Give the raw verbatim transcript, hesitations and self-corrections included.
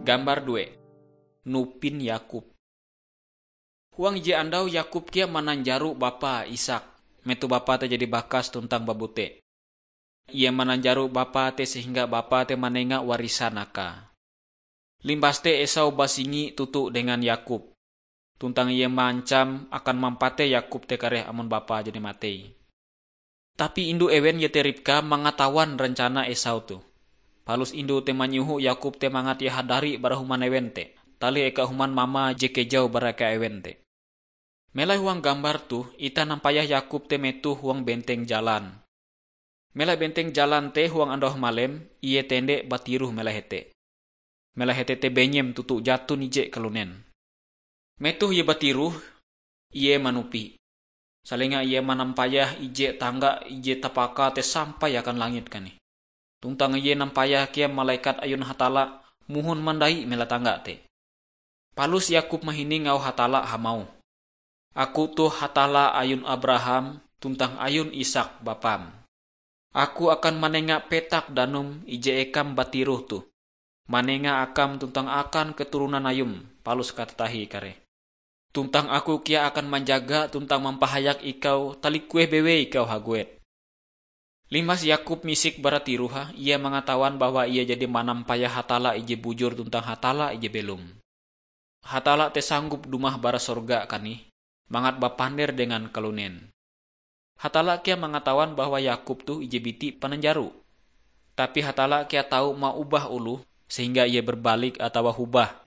Gambar due. Nupin Yakub. Huang ije andau Yakub kea mananjaro bapae Ishak, metoh bapae te jadi bakas tuntang babute. Ie mananjaro bapae te sehingga bapae te manenga warisan akae. Limbas te Esau basingi toto dengan Yakub, tuntang ie maancam akan mampatei Yakub te kareh amon bapae jadi matei. Tapi indu ewen iete Ribka mangatawan rencana Esau toh. Palus indu te manyoho Yakub te mangat ie hadari bara human ewen te, talih eka human mamae je kejau bara eka ewen te. Melai huang gambar toh, itah nampayah Yakub te metoh huang benteng jalan. Melai benteng jalan te huang andau hamalem, ie tende batiroh melai hete. Melai hete te benyem toto jaton ije kalunen. Metoh ie batiroh, ie manupi. Salenga ie manampayah ije tangga ije tapaka te sampai akan langit kanih. Tuntang ie nampayah kea malekat ayun Hatalla mohon mandai melai tangga te. Palus Yakub mahining auh Hatalla hamauh, "Aku toh Hatalla ayun Abraham tuntang ayun Ishak bapam. Aku akan manenga petak danum ije ekam batiroh toh, manenga akam tuntang akan keturonan ayum, palus katatahie kareh. Tuntang Aku kea akan manjaga tuntang mampahayak ikau talikueh bewei ikau haguet." Limbas Yakub misik bara tiroh, ie mangatawan bahwa ie jadi manampayah Hatalla ije bujur tuntang Hatalla ije belom. Hatalla te sanggup dumah bara sorga kanih, mangat bapander dengan kalunen. Hatalla kea mangatawan bahwa Yakub toh ije biti pananjaro. Tapi Hatalla kea tau maubah oloh sehingga ie berbalik atawa hobah